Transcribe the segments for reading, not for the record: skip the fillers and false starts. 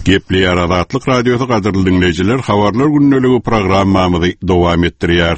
Gepleýär Azatlyk Radiosy gadyrly diňleýjiler habarlar gündeligi programmamyzy dowam etdirýär.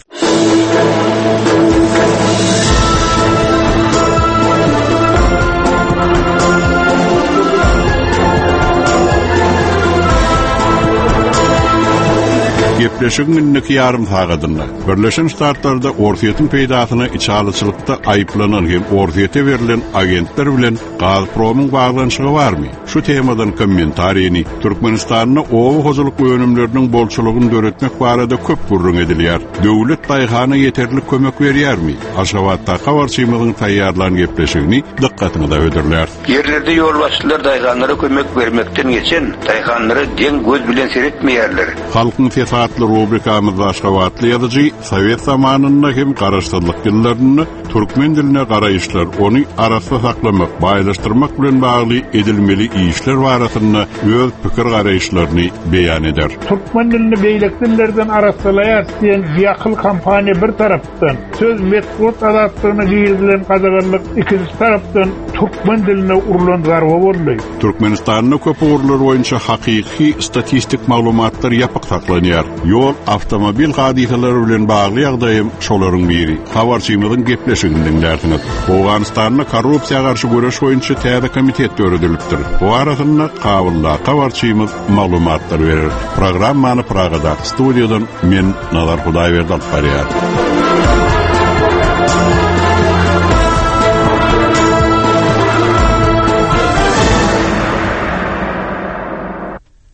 Gepleşigiň indiki ýarym sagadynda Birleşen Ştatlarda Orsýetiň peýdasyna içalyçylykda aýyplanan hem Orsýete berlen agentler bilen Gazpromyň baglanyşygy barmy? Şu temadan kommentariýni Türkmenistanda oba hojalyk önümleriniň bolçulygyny döretmek barada köp gürrüň edilýär. Döwlet daýhana ýeterlik kömek berýärmi? Aşgabatdaky habarçymyzyň taýýarlan gepleşigini dykgatyňyza hödürläris. Ýerlerde ýolbaşçylar daýhanlara kömek bermekden geçen, daýhanlara deň göz bilen seretmeýärler. Halkyň sesi atly rubrikamyzda aşgabatly ýazyjy sowet zamanynda hem garaşsyzlyk ýyllarynda Türkmen diline garaýyşlar, ony arassa saklamak, baýlaşdyrmak bilen bagly edilmeli işler barasynda öz pikir-garaýyşlaryny beýan eder. Türkmen dilini beýleki dillerden arassalaýarys diýen biakyl kampaniýa bir tarapdan, söz, metbugat azatlygyna girizilen gadaganlyk ikinji tarapdan türkmen diline urlan zarba boldy. Türkmenistanda köp ugurlar boýunça hakyky statistik maglumatlar ýapyk saklanýar. Ýol, awtomobil hadysalary bilen bagly ýagdaýam şolaryň biri. Habarçymyzyň gepleşigini diňlärsiňiz. Owganystanda korrupsiýa garşy göreş boýunça täze komitet döredilipdir. Bu barasynda Kabuldaky habarçymyz maglumatlar berer. Programmany Pragadaky studiýadan men Nazar Hudaýberdi alyp barýar.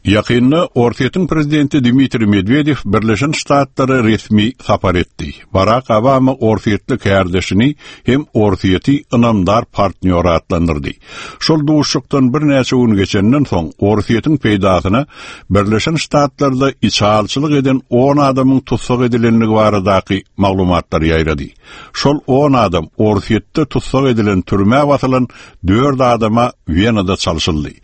Ýakynda Orsýetiň prezidenti Dmitriý Medwedew Birleşen Ştatlara resmi sapar etdi. Barak Obama orsýetli kärdeşini hem Orsýeti ynamdar partnýor atlandyrdy. Şol duşuşykdan birnäçe gün geçenden soň Orsýetiň peýdasyna Birleşen Ştatlarda içalyçylyk eden on adamyň tussag edilendigi baradaky maglumatlar ýaýrady. Şol on adam Orsýetde tussag edilen türmä basylan dört adama Wenada çalşyldy.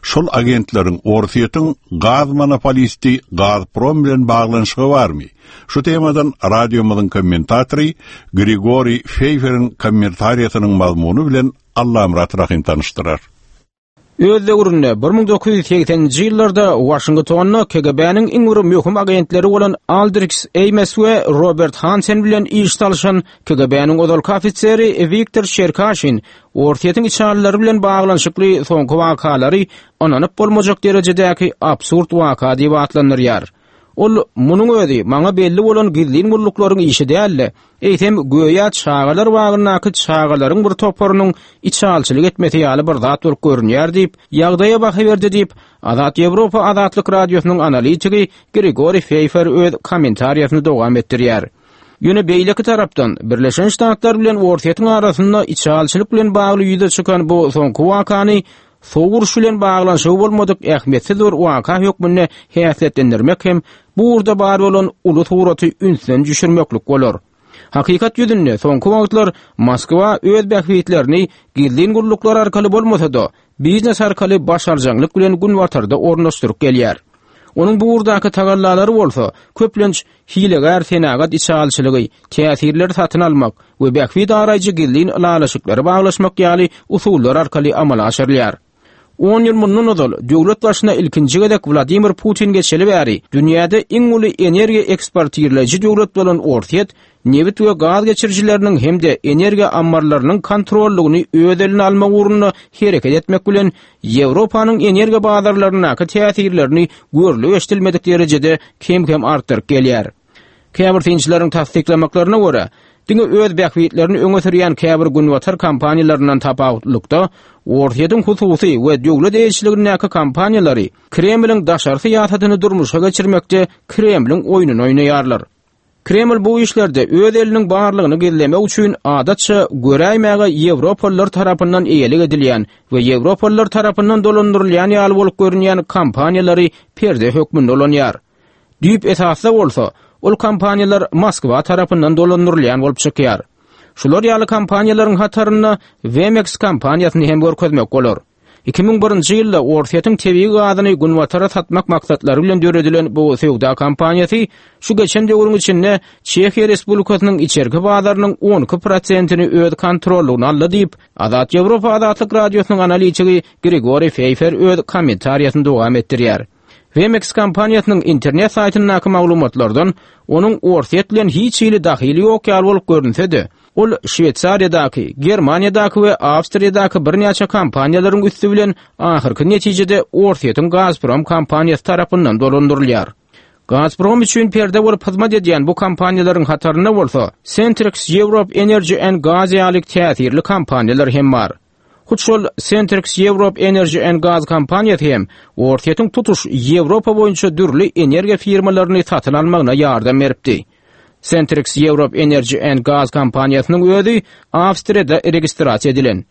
Şol agentleriň Orsýetiň gaz monopolisti Gazprom bilen baglanyşygy barmy? Şu temadan radiomyzyň kommentatory Grigoriý Feýferiň kommentariýasynyň mazmuny bilen Allamyrat Rahym tanyşdyrar. Öz döwründe, 1980-nji ýyllarda Waşingtonda KGB-niň iň bir möhüm agentleri bolan Aldriks Eýmes we Robert Hansen bilen iş salyşan KGB-niň ozalky ofiseri Wiktor Çerkaşin Orsýetiň içalylary bilen baglanyşykly soňky wakalary ynanyp bolmajak derejedäki absurd waka diýip atlandyrýar. Ol, Munuň özi maňa belli bolan gizlin gulluklaryň işi däl-de, eýsem, göýä çagalar bagyndaky çagalaryň bir toparynyň içalyçylyk etmesi ýaly bir zat bolup görünýär diýip, ýagdaýa baha berdi diýip, Azat Ýewropa Azatlyk Radiosynyň analitigi Grigoriý Feýfer öz kommentariýasyny dowam etdirýär. Ýöne beýleki tarapdan, Birleşen Ştatlar bilen Orsýetiň arasynda içalyçylyk bilen bagly ýüze çykan bu soňky wakany sowuk uruş bilen baglanyşygy bolmadyk ähmiýetsiz bir waka hökmünde häsiýetlendirmek hem bu ugurda bar bolan uly suraty ünsden düşürmeklik bolar. Hakykat ýüzünde soňky wagtlar Moskwa öz bähbitlerini gizlin gulluklar arkaly bolmasa-da, biznes arkaly başarjaňlyk bilen Günbatarda ornaşdyryp gelýär. Onuň bu ugurdaky tagallalary bolsa, köplenç, hilegär senagat içalyçylygy, täsirleri satyn almak we bähbit araýjy gizlin ylalaşyklary baglaşmak ýaly usullar arkaly amala aşyrylýar. On ýyl mundan ozal döwlet başyna ilkinji gezek Wladimir Putin geçeli bäri dünýäde iň uly energiýa eksportirleýji döwlet bolan Orsýet nebit we gaz geçirijileriniň hem-de energiýa ammarlarynyň kontrollygyny öz eline almak ugrunda hereket etmek bilen Ýewropanyň energiýa bazarlaryndaky täsirlerini görlüp-eşidilmedik derejede kem-kem artdyryp gelýär. Käbir synçylaryň tassyklamaklaryna görä, diňe öz bähbitlerini öňe sürýän käbir günbatar kompaniýalaryndan tapawutlylykda, Orsýetiň hususy we döwlet eýeçiligindäki kompaniýalary Kremliň daşary syýasatyny durmuşa geçirmekde Kremliň oýnuny oýnaýarlar. Kreml bu işlerde öz eliniň barlygyny gizlemek üçin adatça göräýmäge ýewropalylar tarapyndan eýelik edilýän we ýewropalylar tarapyndan dolandyrylýan ýaly bolup görünýän kompaniýalary perde hökmünde ulanýar. Düýp esasda bolsa, ol kompaniýalar Moskwa tarapyndan dolandyrylýan bolup çykýar. Şular ýaly kompaniýalaryň hatarynda Wemex kompaniýasyny hem görkezmek bolar. 2001-nji ýylda Orsýetiň tebigy gazyny Günbatara satmak maksatlary bilen döredilen bu söwda kompaniýasy şu geçen döwrüň içinde Çehiýa Respublikasynyň içerki bazarynyň 12 prosentini öz kontrollygyna aldy diýip, Azat Ýewropa Azatlyk Radiosynyň analitigi Grigoriý Feýfer öz kommentariýasyny dowam etdirýär. Wemex kompaniýasynyň internet saýtyndaky maglumatlardan onuň Orsýet bilen hiç hili dahyly ýok ýaly bolup görünse-de, ol Şweýsariýadaky, Germaniýadaky we Awstriýadaky birnäçe kompaniýalaryň üsti bilen ahyrky netijede Orsýetiň Gazprom kompaniýasy tarapyndan dolandyrylýar. Gazprom üçin perde bolup hyzmat edýän bu kompaniýalaryň hatarynda bolsa Centrex Europe Energy and Gas ýaly täsirli kompaniýalar hem bar. Hut şol Centrex Europe Energy and Gas kompaniýasy hem Orsýetiň tutuş Ýewropa boýunça dürli energiýa firmalaryny satyn almagyna ýardam beripdi. Centrex Europe Energy and Gas kompaniýasynyň özi Awstriýada registrasiýa edilen.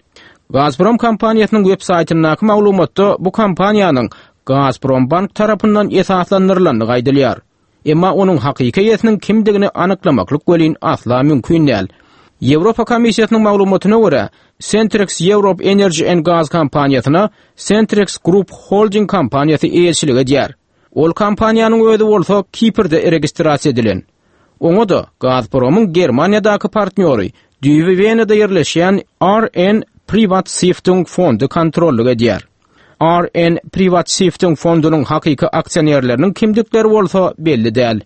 Gazprom kompaniýasynyň web saýtyndaky maglumatda bu kompaniýanyň Gazprombank tarapyndan esaslandyrylandygy aýdylýar. Emma onuň hakyky eýesiniň kimdigini anyklamaklyk welin asla mümkin däl. Ýewropa Komissiýasynyň maglumatyna görä, Centrex Europe Energy and Gas kompaniýasyna Centrex Group Holding kompaniýasy eýeçilik edýär. Ol kompaniýanyň özi bolsa Kiprde registrasiýa edilen. Oňa-da Gazpromyň Germaniýadaky partnýory, düýbi Wenada ýerleşýän RN Privatstiftung fondy kontrollyk edýär. RN Privatstiftung fondunyň hakyky aksionerleriniň kimdikleri bolsa belli däl.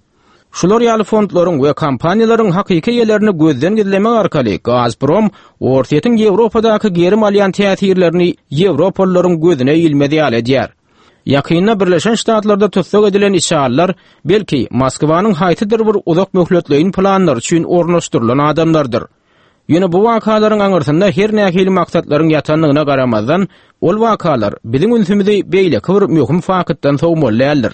Şular ýaly fondlaryň we kompaniýalaryň hakyky eýelerini gözden gizlemek arkaly Gazprom Orsýetiň Ýewropadaky gerim alýan täsirlerini ýewropalylaryň gözüne ilmez ýaly edýär. Ýakynda Birleşen Ştatlarda tussag edilen içalylar, belki, Moskwanyň haýsydyr bir uzak möhletleýin planlary üçin ornaşdyrylan adamlardyr. Ýöne bu wakalaryň aňyrsynda her nähili maksatlaryň ýatandygyna garamazdan, ol wakalar biziň ünsümizi beýleki bir möhüm faktdan sowmaly däldir.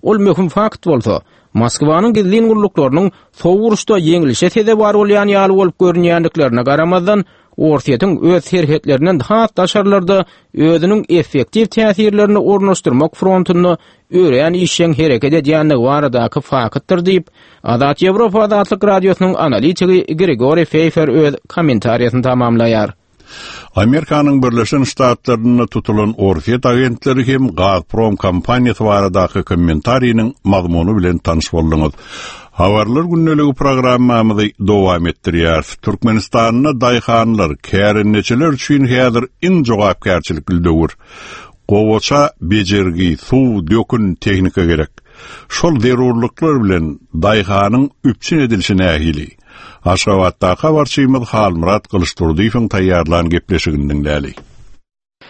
Ol möhüm fakt bolsa, Moskwanyň gizlin gulluklarynyň sowuk uruşda ýeňlişe sezewar bolýan ýaly bolup görünýändiklerine garamazdan, Orsýetiň öz serhetlerinden has daşarlarda özüniň effektiw täsirlerini ornaşdyrmak frontunda örän işjeň hereket edýändigi baradaky faktdyr diýip, Azat Ýewropa Azatlyk Radiosynyň analitigi Grigoriý Feýfer öz kommentariýasyny tamamlaýar. Amerikanyň Birleşen Ştatlarynda tutulan orsýet agentleri hem Gazprom kompaniýasy baradaky kommentariniň mazmuny bilen tanyş bolduňyz. Habarlar gündeligi programmamyzy dowam etdirýäris. Türkmenistanda daýhanlar, kärendeçiler üçin häzir iň jogapkärçilikli döwür. Gowaça bejergi, suw, dökün, tehnika gerek. Şol zerurlyklar bilen daýhanyň üpjün edilişi nähili? Aşgabatdaky habarçymyz Halmyrat Gylyçdurdyýewiň taýýarlan gepleşigini diňläli.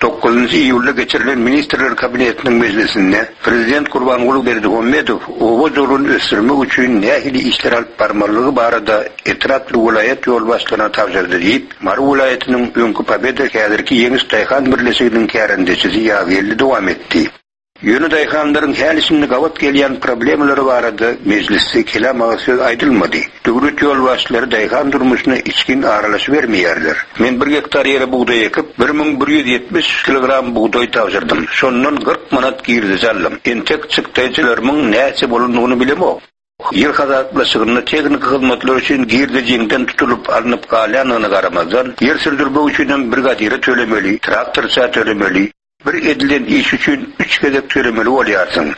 Dokuzynjy iýulda geçirilen Ministrler Kabinetiniň mejlisinde Prezident Gurbanguly Berdimuhamedow oba hojalygyny ösdürmek üçin nähili işler alyp barmalydygy barada etrap we welaýat ýolbaşçylaryna tabşyrdy diýip, Mary welaýatynyň öňki Pobeda, häzirki Ýeňiş daýhan birleşiginiň kärendeçisi Ýazgeldi dowam etdi. Ýöne daýhanlaryň häli-şindi gabat gelýän problemalary barada mejlisde kelam agyz söz aýdylmady. Döwlet ýolbaşçylary daýhan durmuşyna içgin aralaşybermeýärler. Men bir gektar ýere bugdaý ekip, 1170 kilogram bugdaý tabşyrdym. Şondan 40 manat girdeji aldym. Entek çykdaýjylarymyň näçe bolandygyny bilemok. Ýer hasaplaşygynda tehniki hyzmatlar üçin girdejiňden tutulyp alnyp galýandygyna garamazdan, ýer sürdürmek üçinem brigadire tölemeli, traktorça tölemeli. Bir edilen iş üçin üç gezek tölemeli bolýarsyň.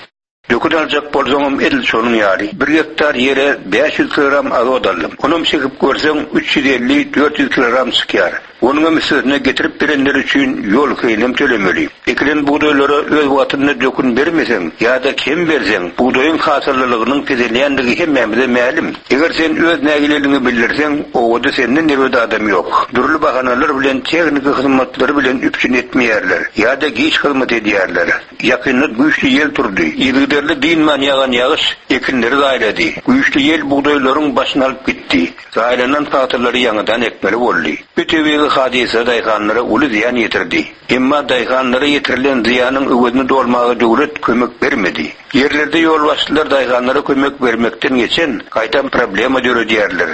Dökün aljak bolsaňam edil şonuň ýaly. Bir gektar ýere 500 kilogram azot aldym. Onam çekip görseň, 350, 400 kilogram çykýar. Onuňam üstesine getirip berenleri üçin ýol kireýinem tölemeli. Ekilen bugdaýlara öz wagtynda dökün bermeseň ýa-da kem berseň, bugdaýyň hasyllylygynyň peselýändigi hemmämize mälim. Eger sen öz nägileligiňi bildirseň, obada senden erbet adam ýok. Dürli bahanalar bilen tehniki hyzmatlary bilen üpjün etmeýärler ýa-da giç hyzmat edýärler. Ýakynda güýçli ýel turdy. Yzygiderli dynman ýagan ýagyş ekinleri zaýalady. Güýçli ýel bugdaýlaryň başyny alyp gitdi. Zaýalanan pagtalary ýaňadan ekmeli boldy. Bu tebigy hadysa daýhanlara uly zyýan ýetirdi. Emma daýhanlara ýetirilen zyýanyň öwezini dolmaga döwlet kömek bermedi. Ýerlerde ýolbaşçylar daýhanlara kömek bermekden geçen, gaýtam problema döredýärler.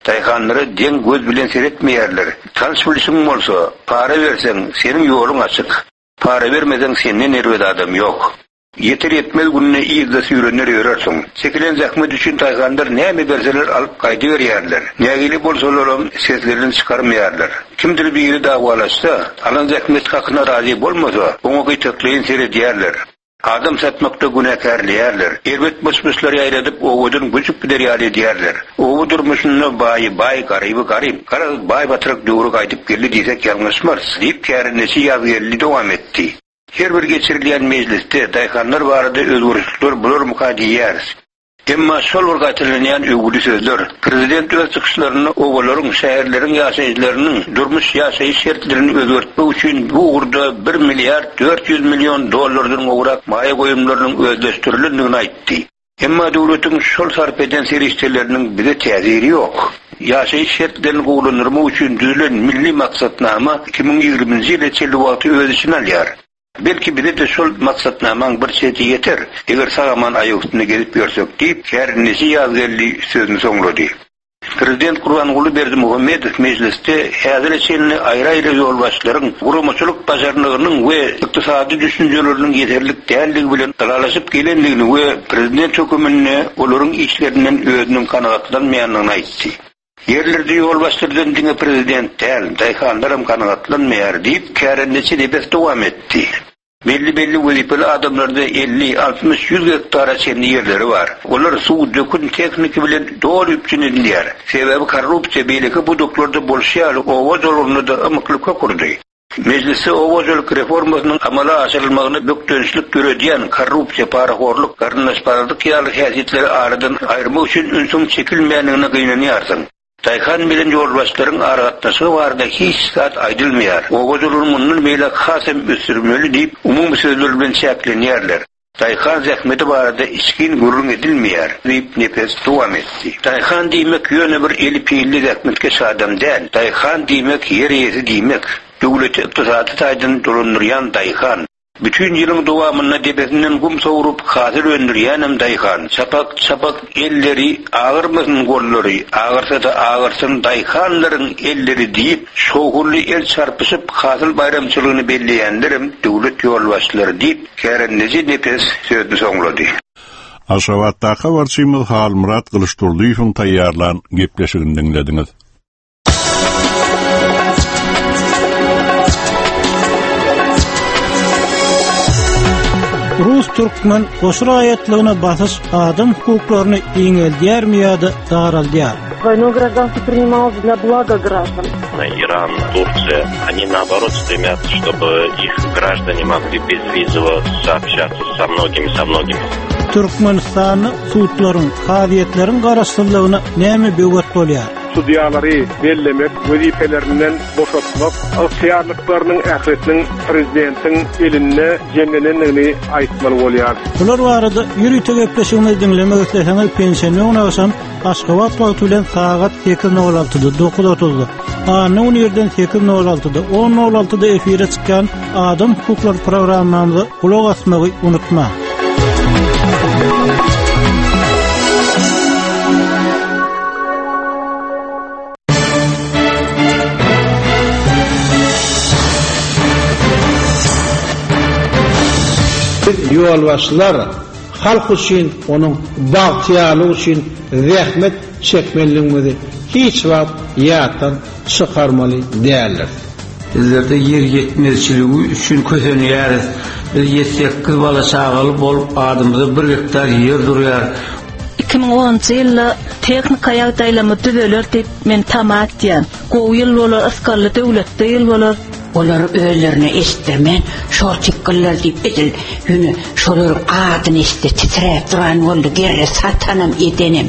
Daýhanlara deň göz bilen seretmeýärler. Tanyş-bilşiň bolsa, para berseň, seniň ýoluň açyk. Para bermeseň, senden erbet adam ýok. Ýeter-ýetmez günde yzda süýrener ýörersiň. Çekilen zähmet üçin daýhanlar näme berseler alyp gaýdyberýärler. Nägile bolsalaram seslerini çykarmaýarlar. Kimdir biri dawalaşsa, alan zähmet hakyna razy bolmasa, oňa gytaklaýyn seredýärler. Adam satmakda günäkärleýärler. Erbet myş-myşlar ýaýradyp, obadan göçüp gider ýaly edýärler. Oba durmuşynda baýy baý, garyby garyp. Garaz, baý-batrak döwri gaýdyp geldi diýsek ýalňyşmarys, diýip, kärendeçi Ýazgeldi dowam etdi. Her bir geçirilýän mejlisde daýhanlar barada özgerişlikler bolarmyka diýýäris. Emma şol bir gaýtalanýan öwgüli sözler. Prezident öz çykyşlarynda obalaryň, şäherleriň ýaşaýjylarynyň durmuş-ýaşaýyş şertlerini özgertmek üçin bu ugurda bir milliard 400 million dollardan gowrak maýa goýumlarynyň özleşdirilendigini aýtdy. Emma döwletiň şol sarp eden serişdeleriniň bize täsiri ýok. Ýaşaýyş şertlerini gowulandyrmak üçin düzülen milli maksatnama 2020-nji ýyla çenli wagty öz içine alýar. Belki bize-de şol maksatnamaň bir çeti ýeter, eger sag-aman aýak üstünde gezip ýörsek diýip, kärendeçi Ýazgeldi sözüni soňlady. Prezident Gurbanguly Berdimuhamedow mejlisde häzire çenli aýry-aýry ýolbaşçylaryň guramaçylyk başarnygynyň we ykdysady düşünjeleriniň ýeterlik däldigi bilen ylalaşyp gelendigini we prezident höküminde olaryň işlerinden özüniň kanagatlanmaýandygyny aýtdy. Ýerlerde ýolbaşçylardan diňe prezident däl, daýhanlaram kanagatlanmaýar diýip, kärendeçi Nepes dowam etdi. Belli-belli wezipeli adamlarda 50, 60, 100 gektara çenli ýerleri bar. Olar suw, dökün, tehniki bilen doly üpjün edilýär. Sebäbi korrupsiýa beýleki pudaklarda bolşy ýaly oba hojalygynda-da ymykly kök urdy. Mejlisde oba hojalyk reformasynyň amala aşyrylmagyna bökdençlik döredýän korrupsiýa, parahorluk, garyndaşparazlyk ýaly häsiýetleri aradan aýyrmak üçin ünsüň çekilmeýändigine gynanýarsyň. Daýhan bilen ýolbaşçylaryň aragatnaşygy barada hiç zat aýdylmaýar. Oba hojalygyny mundan beýläk has hem ösdürmeli diýip, umumy sözler bilen çäklenýärler. Daýhan zähmeti barada içgin gürrüň edilmeýär, diýip, Nepes dowam etdi. Daýhan diýmek ýöne bir eli pilli zähmetkeş adam däl. Daýhan diýmek ýer eýesi diýmek. Döwleti ykdysady taýdan dolandyrýan daýhan. Bütin ýylyň dowamynda depesinden gum sowrup, hasyl öndürýänem daýhan. Çapak, çapak elleri, agyrmasyn gollary, agyrsa-da agyrsyn daýhanlaryň elleri diýip, şowhunly el çarpyşyp, hasyl baýramçylygyny belleýänlerem döwlet ýolbaşçylary diýip, kärendeçi Nepes sözüni soňlady. Aşgabatdaky habarçymyz Halmyrat Gylyçdurdyýewiň taýýarlan gepleşigini diňlediňiz. Rus-türkmen goşa raýatlygyna basyş adam hukuklaryny giňeldýärmi ýa-da daraldýar? Двойной гражданство принималось для блага граждан. Иран, Турция, они наоборот стремятся, чтобы их граждане могли безвизово сообщаться со многими, со многими. Türkmenistanda sudlaryň, kazyýetleriň garaşsyzlygyna näme böwet bolýar? Sudýalary bellemek, wezipelerinden boşatmak ygtyýarlyklarynyň ählisiniň prezidentiň elinde jemlenendigini aýtmaly bolýar. Bular barada ýörite gepleşigimizi diňlemek isleseňiz, penşenbe güni agşam Aşgabat wagty bilen sagat sekiz nol altyda, dokuz otuzda, anna güni irden sekiz nol altyda, on nol altyda efire çykýan Adam hukuklary programmamyza gulak asmagy unutmaň. Biz ýolbaşçylar halk üçin, onuň bagtyýarlygy üçin zähmet çekmelidigimizi hiç wagt ýatdan çykarmaly däldiris. Bizlerde ýer ýetmezçiligi üçin kösenýäris. Biz ýedi-sekiz bala-çagaly bolup, adymyza bir gektar ýer durýar. 2010-njy ýylda tehnika ýagdaýlarymyz düzeler diýip men tama etýän. Gowy ýyl bolar, ysgally döwletli ýyl bolar. Olar özlerine eşitdirmän, şor çykgynlar diýip edil ýöne şolaryň adyny eşitse titräp duran boldy, gerre satanam edenem.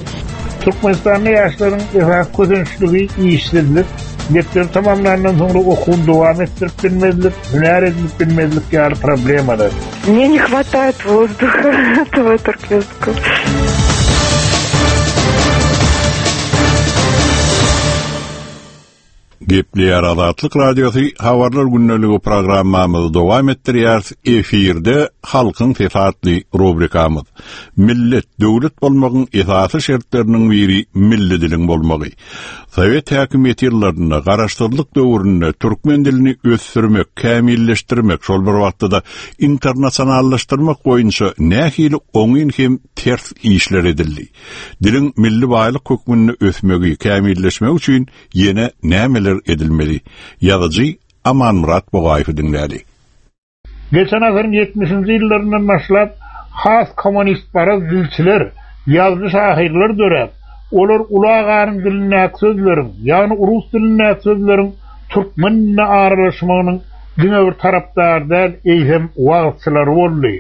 Türkmenistanda ýaşlaryň esasy kösençligi işsizlik, mekdebi tamamlandan soňra okuwyny dowam etdirip bilmezlik, hünär edinip bilmezlik ýaly problemalar. Мне не хватает воздуха этого торквестка. Gepleýär Azatlyk Radiosy Habarlar gündeligi programmamyzy dowam etdirýäris. Efirde Halkyň sesi atly rubrikamyz. Millet, döwlet bolmagyň esasy şertleriniň biri milli diliň bolmagy. Sowet häkimiýeti ýyllarynda, garaşsyzlyk döwründe türkmen dilini ösdürmek, kämilleşdirmek, şol bir wagtda-da internasionallaşdyrmak boýunça nähili oňyn hem ters işler edildi? Diliň milli baýlyk hökmünde ösmegi, kämilleşmegi üçin ýene nämeler edilmeli? Ýazyjy Amanmyrat Bugaýewi diňläli. Geçen asyryň ýetmişinji ýyllaryndan başlap has kommunistparaz dilçiler, ýazyjy-şahyrlar döräp, olar uly aganyň dilindäki sözleriň, ýagny rus dilindäki sözleriň türkmen diline aralaşmagynyň diňe bir tarapdary däl, eýsem wagyzçylary boldy.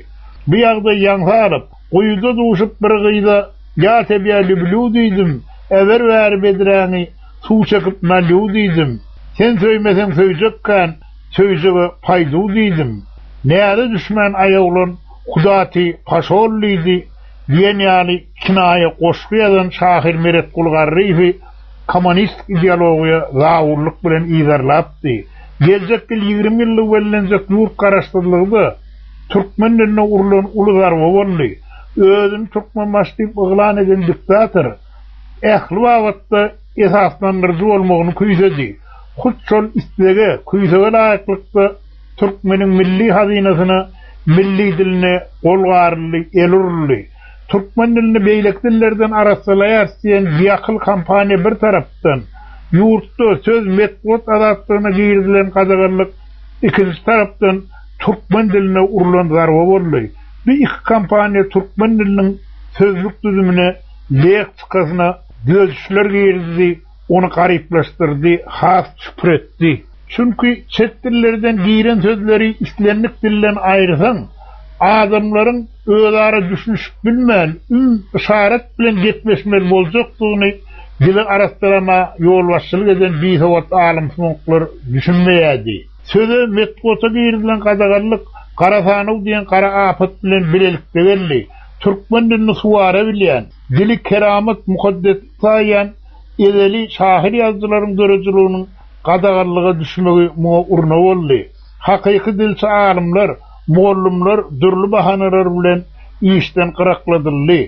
Bu ýagdaý ýaňsa alyp, guýuda duşup bir gyza Ýa tebýa lüblýu diýdim, äber bäri bedräňi, suw çekip nalýu diýdim. Sen söýmeseň söýjek kän, Söýjege paýdu diýdim. Näze düşmän aýaglan Kuda ty paşol diýdi diýen ýaly kinaýa goşgy ýazan şahyr Meretguly Garryýewi kommunistik ideologiýa zabunlyk bilen yzarlapdy. Geljek ýyl 20 ýyllygy bellenjek ýurt garaşsyzlygy-da türkmen diline urlan uly zarba boldy. Özüni Türkmenbaşy diýip yglan eden diktator ähli babatda esaslandyryjy bolmagyny küýsedi. Hut şol islege, küýsege laýyklykda türkmeniň milli hazynasyna, milli diline gol garyldy, el uruldy. Türkmen dilini beýleki dillerden arassalaýarys diýen biakyl kampaniýa bir tarapdan, ýurtda söz, metbugat azatlygyna girizilen gadaganlyk ikinji tarapdan türkmen diline urlan zarba boldy. Bu iki kampaniýa türkmen diliniň sözlük düzümine, leksikasyna düzedişler girizdi, ony garyplaşdyrdy, has çüpretdi. Çünki çet dillerden giren sözleri islendik dilden aýyrsaň, adamlaryň özara düşünişip bilmän, üm, yşarat bilen gepleşmeli boljakdygyny dili arassalama ýolbaşçylyk eden bisowat alymsumaklar düşünmeýärdi. Söze, metbugata girizilen gadaganlyk Gara sanaw diýen gara apat bilen bilelikde geldi. Türkmen dilini suwara bilýän, dili keramat, mukaddeslik saýýan ezeli şahyr-ýazyjylaryň döredijiliginiň gadaganlyga düşmegi muňa urna boldy. Hakyky dilçi alymlar, mugallymlar dürli bahanalar bilen işden gyrakladyldy.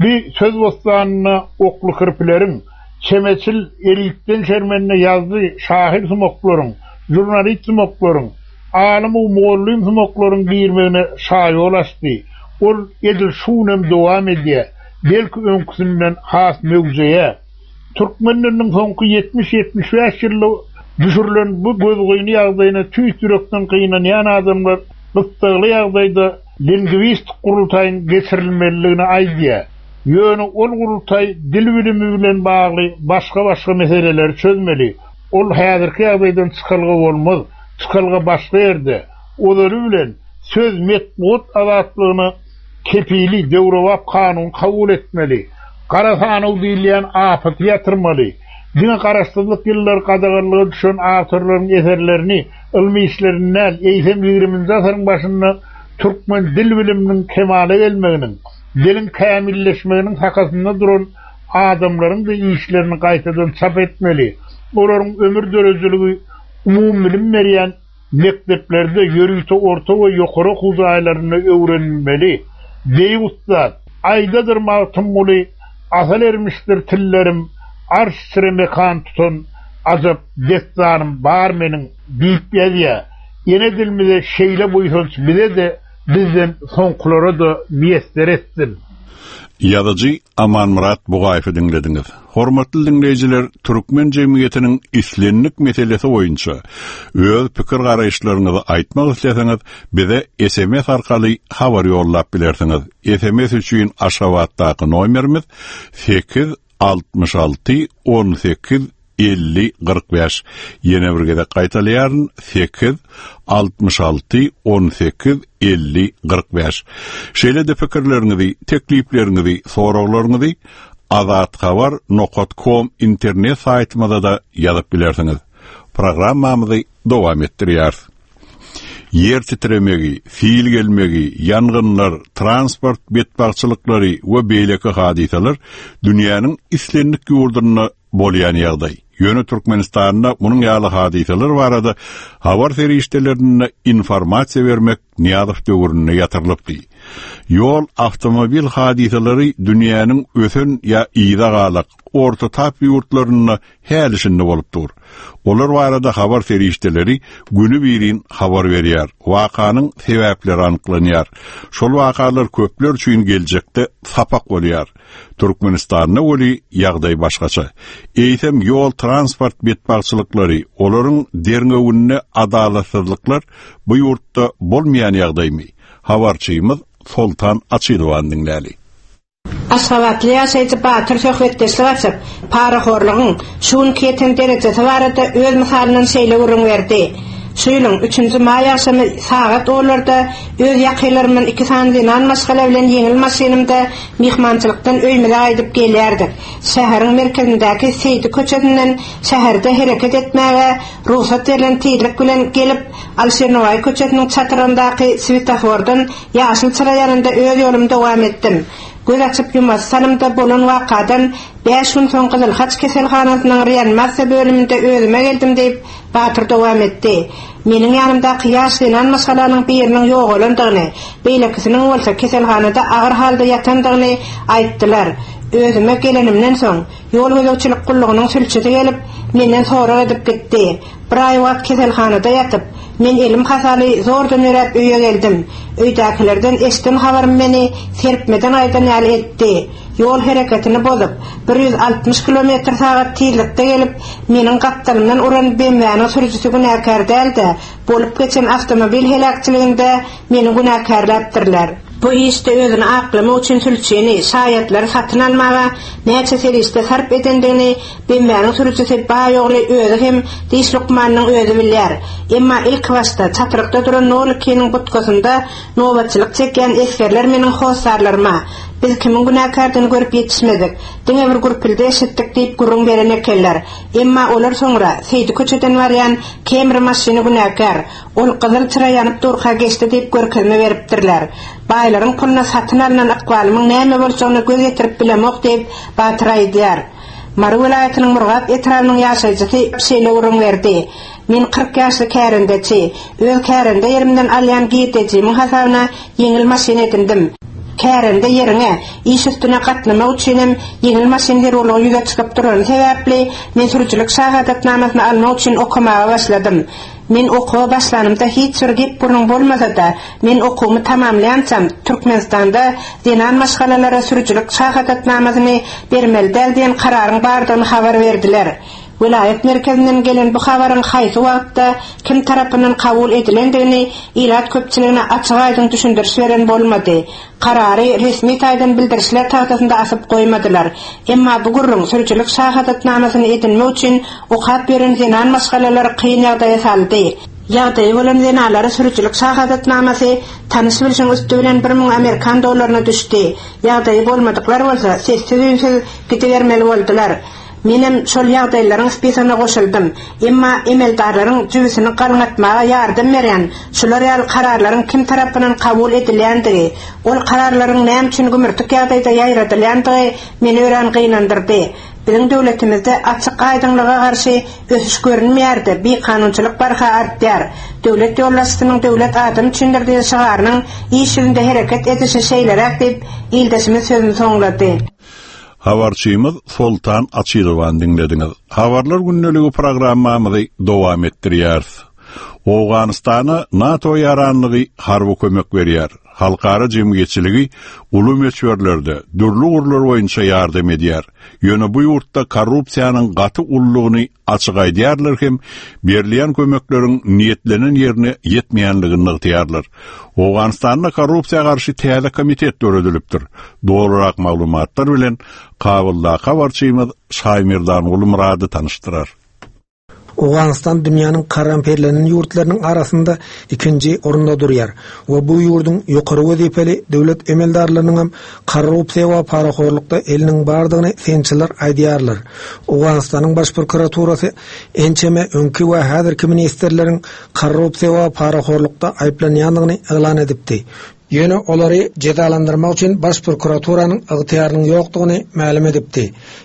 Bi söz bossanyna oklukirpileriň, çemeçil, elitden şermende ýazyjy, şahyrsumaklaryň, žurnalistsumaklaryň, alym-u-mugallym sumaklaryň girmegine şaýol açdy. Ol edil şu günem dowam edýär. Belki öňküsinden has möwjeýär. Türkmen diliniň soňky 70-75 ýylda düşürilen bu gözgyny ýagdaýyna tüýs ýürekden gynanýan adamlar gyssagly ýagdaýda lingwistik gurultaýyň geçirilmelidigini aýdýar. Ýöne ol gurultaý dil bilimi bilen bagly başga-başga meseleleri çözmeli. Ol häzirki ýagdaýdan çykalga bolmaz. Çykalga başga ýerde. Ozaly bilen, söz, metbugat azatlygyna kepili döwrebap kanun kabul etmeli. Gara sanaw diýilýän apaty ýatyrmaly. Diňe garaşsyzlyk ýyllary gadaganlyga düşen awtorlaryň eserlerini, ylmy işlerini däl, eýsem ýigriminji asyryň başynda türkmen dil biliminiň kemala gelmeginiň, diliň kämilleşmeginiň sakasynda duran adamlaryň-da işlerini gaýtadan çap etmeli. Olaryň ömür döredijiligi umumybilim berýän mekdeplerde, ýörite orta we ýokary okuw jaýlarynda öwrenilmeli. Beýik ussat, Aýdadyr Magtymguly, Asal ermişdir tillerim, Arş içre mekan tutan ajap dessanym bar meniň diýip ýazýar. Ene dilimize şeýle buýsanç bize-de, bizden soňkulara-da miýesser etsin. Ýazyjy Amanmyrat Bugaýewi diňlediňiz. Hormatly diňleýjiler, türkmen jemgyýetiniň islendik meselesi boýunça öz pikir-garaýyşlaryňyzy aýtmak isleseňiz, bize sms arkaly habar ýollap bilersiňiz. Sms üçin Aşgabatdaky nomerimiz 8 66 18 50 45. Ýene bir gezek gaýtalaýaryn, 8 66 18 50 45. Şeýle-de pikirleriňizi, teklipleriňizi, soraglaryňyzy azathabar nokat kom internet saýtymyza-da ýazyp bilersiňiz. Programmamyzy dowam etdirýäris. Ýer titremegi, sil gelmegi, ýangynlar, transport betbagtçylyklary we beýleki hadysalar dünýäniň islendik ýurdunda. bolýan ýagdaý. Ýöne Türkmenistanda munuň ýaly hadysalar barada habar serişdelerinde informasiýa bermek Nyýazow döwründe ýatyrylypdy. Ýol awtomobil hadysalary dünýäniň ösen ýa yza galak, orta tap ýurtlarynda häli-şindi bolup dur. Olar barada habar serişdeleri günübirin habar berýär, wakanyň sebäpleri anyklanýar. Şol wakalar köpler üçin geljekde sapak bolýar. Türkmenistanda weli ýagdaý başgaça. Eýsem ýol-transport betbagtçylyklary, olaryň derňewinde adalatsyzlyklar bu ýurtda bolmaýan ýagdaýmy? Habarçymyz Soltan Açylowany diňläli. Aşgabatly ýaşaýjy Batyr söhbetdeşlik açyp, parahorlugyň şu günki ýeten derejesi barada öz mysalyndan şeýle gürrüň berdi, Şu ýylyň üçünji maý agşamy sagat onlarda öz ýakynlarymdan iki sany zenan maşgala bilen ýeňil maşynymda myhmançylykdan öýümize gaýdyp gelýärdik. Şäheriň merkezindäki Seýdi köçesinden şäherde hereket etmäge rugsat berlen tizlik bilen gelip, Alyşir Nowaýy köçesiniň çatrygyndaky swetofordan Ýaşyl çyra ýanynda öz ýolumy dowam etdim. Göz açyp ýumasy salymda bolan wakadan bäş gün soň Gyzyl Haç keselhanasynyň reanimasiýa bölüminde özüme geldim diýip, Batyr dowam etdi. Meniň ýanymdaky ýaş zenan maşgalanyň biriniň ýogalandygyny, beýlekisiniň bolsa keselhanada agyr halda ýatandygyny aýtdylar. Özüme gelenimden soň, ýol gözegçilik gullugynyň sülçüsi gelip, menden sorag edip gitdi. Bir aý wagt keselhanada ýatyp, men elim hasaly zordan ýöräp öýe geldim. Öýdäkilerden eşden habarym meni serpmeden gaýdan ýaly etdi. Ýol hereketini bozup, 160 kilometr sagat tizlikde gelip, meniň gapdalymdan uran BMW-niň sürüjisi günäkär däl-de, bolup geçen awtomobil heläkçiliginde meni günäkärläpdirler. Bu işde özüni aklamak üçin sülçini, şaýatlary satyn almaga näçe serişde sarp edendigini BMW-niň sürüjisi baý ogly özi hem diş lukmanynyň özi bilýär. Emma ilkibaşda çatrykda duran nol ikiniň butkasynda nobatçylyk çekýän esgerler meniň hossarlaryma, Biz kimiň günäkärdigini görüp ýetişmedik. Diňe bir gürpüldi eşitdik diýip gürrüň beren ekenler. Emma olar soňra Seýdi köçeden barýan Camry maşyny günäkär. Ol gyzyl çyra ýanyp durka geçdi diýip görkezme beripdirler. Baýlaryň puluna satyn alnan ykbalymyň näme boljagyna göz ýetirip bilemok diýip, Batyr aýdýar. Mary welaýatynyň Murgap etrabynyň ýaşaýjysy şeýle gürrüň berdi, Men 40 ýaşly kärendeçi. Öz kärende ýerimden alýan girdejimiň hasabyna ýeňil maşyn edindim. Kärende ýeriňe, iş üstüne gatnamak üçinem ýeňil maşyn zerurlygy ýüze çykyp durany sebäpli, men sürüjilik şahadatnamasyny almak üçin okamaga başladym. Men okuwa başlanymda hiç bir gep-gürrüň bolmasa-da, men okuwymy tamamlaýançam, Türkmenistanda zenan maşgalalara sürüjilik şahadatnamasyny bermeli däl diýen kararyň bardygyny habar berdiler. Welaýat merkezinden gelen bu habaryň haýsy wagtda, kim tarapyndan kabul edilendigini ilat köpçüligine açyk-aýdyň düşündiriş beren bolmady. Karary resmi taýdan bildirişler tagtasynda asyp goýmadylar. Emma bu gürrüň sürüjilik şahadatnamasyny edinmek üçin okap ýören zenan maşgalalary kyn ýagdaýa saldy. Ýagdaýy bolan zenanlara sürüjilik şahadatnamasy tanyş-bilşiň üsti bilen 1000 amerikan dollaryna düşdi. Ýagdaýy bolmadyklar bolsa sessiz-üýnsüz gidibermeli boldular. Menem şol ýagdaýlaryň spisogyna goşuldym. Emma emeldarlaryň jübüsini galňatmaga ýardam berýän şular ýaly kararlaryň kim tarapyndan kabul edilýändigi, ol kararlaryň näme üçin gümürtik ýagdaýda ýaýradylýandygy meni örän gynandyrdy. Biziň döwletimizde açyk-aýdyňlyga garşy ösüş görünmeýär-de, bikanunçylyk barha artýar. Döwlet ýolbaşçysynyň Döwlet adam üçindir diýen şygarynyň iş ýüzünde hereket edişi şeýleräk diýip, ildeşimiz sözüni soňlady. Habarçymyz Soltan Açylowany diňlediňiz. Habarlar gündeligi programmamyzy dowam etdirýäris. Owganystana NATO ýaranlygy harby kömek berýär. Halkara jemgyýetçiligi uly möçberlerde, dürli ugurlar boýunça ýardam edýär. Ýöne bu ýurtda korrupsiýanyň gaty uludygyny Açyk aýdýarlar hem berilýän kömekleriň niýetlenen ýerine ýetmeýänligini nygtaýarlar. Owganystanda korrupsiýa garşy täze komitet döredilipdir. Dolurak maglumatlar bilen Kabuldaky habarçymyz Şaýmerdanguly Myrady tanyşdyrar. Owganystan dünýäniň korrumperlenen ýurtlarynyň arasynda ikinji orunda durýar we bu ýurduň ýokary wezipeli döwlet emeldarlarynyň hem korrupsiýa we parahorlukda eliniň bardygyny synçylar aýdýarlar. Owganystanyň Baş prokuraturasy ençeme öňki we häzirki ministrleriň korrupsiýa we parahorlukda aýyplanýandygyny yglan edipdi. Ýöne olary jezalandyrmak üçin Baş prokuraturanyň ygtyýarynyň ýokdugyny mälim edipdi.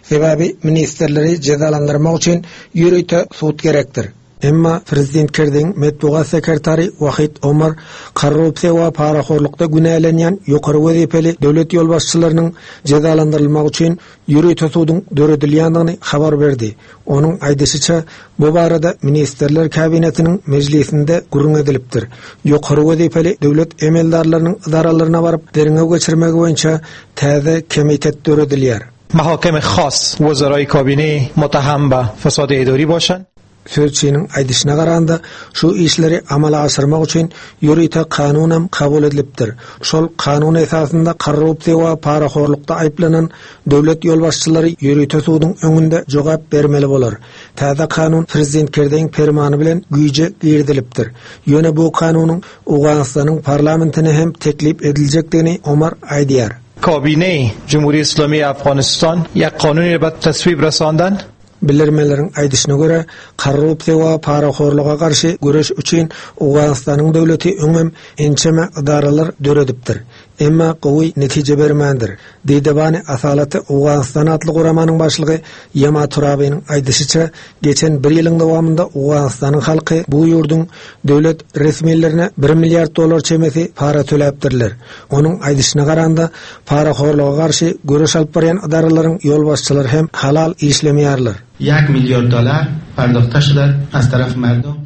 Sebäbi ministrleri jezalandyrmak üçin ýörite sud gerekdir. Emma prezident Kerziň metbugat sekretary Wahid Omar korrupsiýa we parahorlukda günälenýän ýokary wezipeli döwlet ýolbaşçylarynyň jezalandyrylmagy üçin ýörite suduň döredilýändigini habar berdi. Onuň aýdyşyça, bu barada Ministrler Kabinetiniň mejlisinde gürrüň edilipdir. Ýokary wezipeli döwlet emeldarlarynyň ydaralaryna baryp derňew geçirmegi boýunça täze komitet döredilýär. Mahakeme khas wezaraý kabine mutaham be fesade idari başan. Sözçiniň aýdyşyna garanda, şu işleri amala aşyrmak üçin ýörite kanunam kabul edilipdir. Şol kanun esasynda korrupsiýa we parahorlukda aýyplanan döwlet ýolbaşçylary ýörite suduň öňünde jogap bermeli bolar. Täze kanun prezident Kerzeýiň permany bilen güýje girizilipdir. Ýöne bu kanunyň Owganystanyň parlamentine hem teklip ediljekdigini Omar aýdýar. Kabine Jumhuri Islami Afghanistan ýek kanuni be taswib rasandan. Bilermenleriň aýdyşyna görä, korrupsiýa we parahorluga garşy göreş üçin Owganystanyň döwleti öňem ençeme edaralar döredipdir. Emma gowy netije bermändir. Didebani Asalaty Owganystan atly guramanyň başlygy Ýema Turabynyň aýdyşyça, geçen bir ýylyň dowamynda Owganystanyň halky bu ýurduň döwlet resmilerine bir milliard dollar çemesi para töläpdirler. Onuň aýdyşyna garanda, parahorluga garşy göreş alyp barýan ydaralaryň ýolbaşçylary hem halal işlemeýärler. Ýek milliard dolar pardahta şuda az taraf mardom.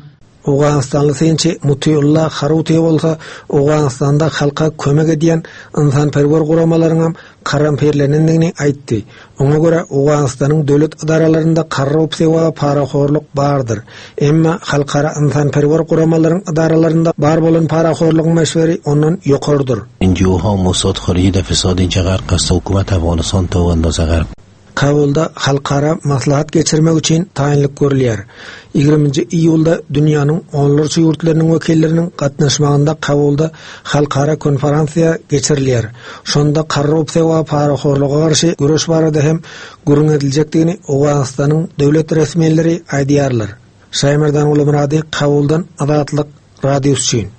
Owganystanly synçy Mutiulla Haruti bolsa Owganystanda halka kömek edýän ynsanperwer guramalaryňam korrumpirlenendigini aýtdy. Oňa görä, Owganystanyň döwlet edaralarynda korrupsiýa we parahorluk bardyr. Emma halkara ynsanperwer guramalaryň edaralarynda bar bolan parahorlugyň möçberi ondan ýokarydyr. NGO-ha Mossad Horiji-de fesad inçe gark ast hukumat Afganistan to andaze gark. Kabulda halkara maslahat geçirmek üçin taýynlyk görülýär. Ýigriminji iýulda dünýäniň onlarça ýurtlarynyň wekilleriniň gatnaşmagynda Kabulda halkara konferensiýa geçirilýär. Şonda korrupsiýa we parahorluga garşy göreş barada hem gürrüň ediljekdigini Owganystanyň döwlet resmileri aýdýarlar. Şaýmerdan Gulumyrady Kabuldan Azatlyk Radiosy üçin.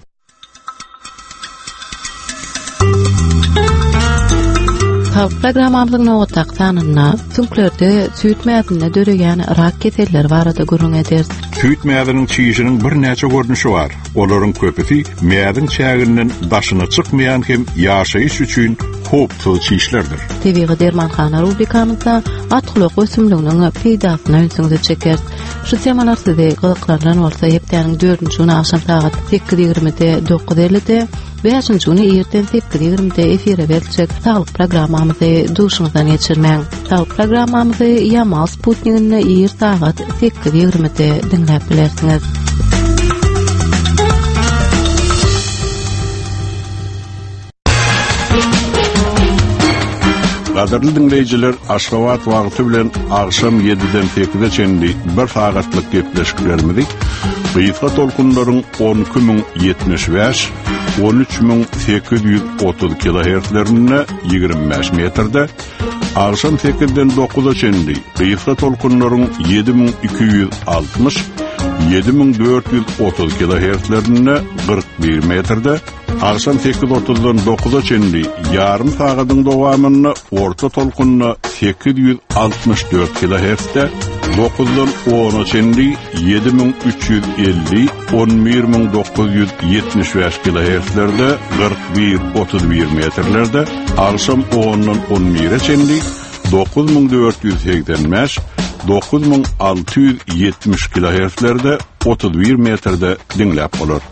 Saglyk programmamyzyň nobatdaky sanynda süňklerde süýt mäzinde döreýän rak keselleri barada gürrüň ederis. Süýt mäziniň çişiniň birnäçe görnüşi bar. Olaryň köpüsi mäziň çäginden daşyna çykmaýan hem ýaşaýyş üçin howpsuz çişlerdir. Tebigy dermanhana rubrikamyzda atgulak ösümliginiň peýdasyna ünsüňizi çekeris. Şu temalar sizi gyzyklandyran bolsa, hepdäniň dördünji güni agşam sagat 8:20-de, 9:50-de, bäşinji güni irden 8:20-de efire beriljek saglyk programmamyzy duşuňyzdan geçirmäň. Saglyk programmamyzy Ýamal sputniginde ir sagat 8:20-de diňläp bilersiňiz. Gadyrly diňleýjiler, Aşgabat wagty bilen agşam 7-den 8-e çenli bir sagatlyk gepleşiklerimizi gysga tolkunlaryň 12075, 13830 kilohertzlerinde 25 metrde, agşam 8-den 9-a çenli gysga tolkunlaryň 7260, 7430 kilohertzlerinde 41 metrde, Agşam sekiz otuzdan dokuza çenli ýarym sagadyň dowamynda orta tolkunda 864 kilohertzde, dokuzdan ona çenli 7350, 11975 kilohertzlerde, 41, 31 metrlerde, agşam ondan on bire çenli 9485, 9670 kilohertzlerde, 31 metrde diňläp bolar.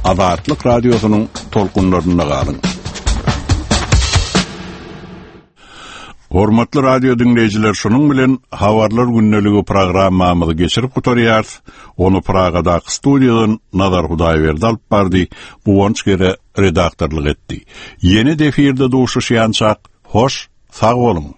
Azatlyk Radiosynyň tolkunlarynda galyň. Hormatly radio diňleýjiler, şunuň bilen Habarlar gündeligi programmamyzy geçirip gutarýarys. Ony Pragadaky studiýadan Nazar Hudaýberdi alyp bardy, Guwanç Gere redaktorlyk etdi. Ýene-de efirde duşuşýançak, hoş, sag boluň!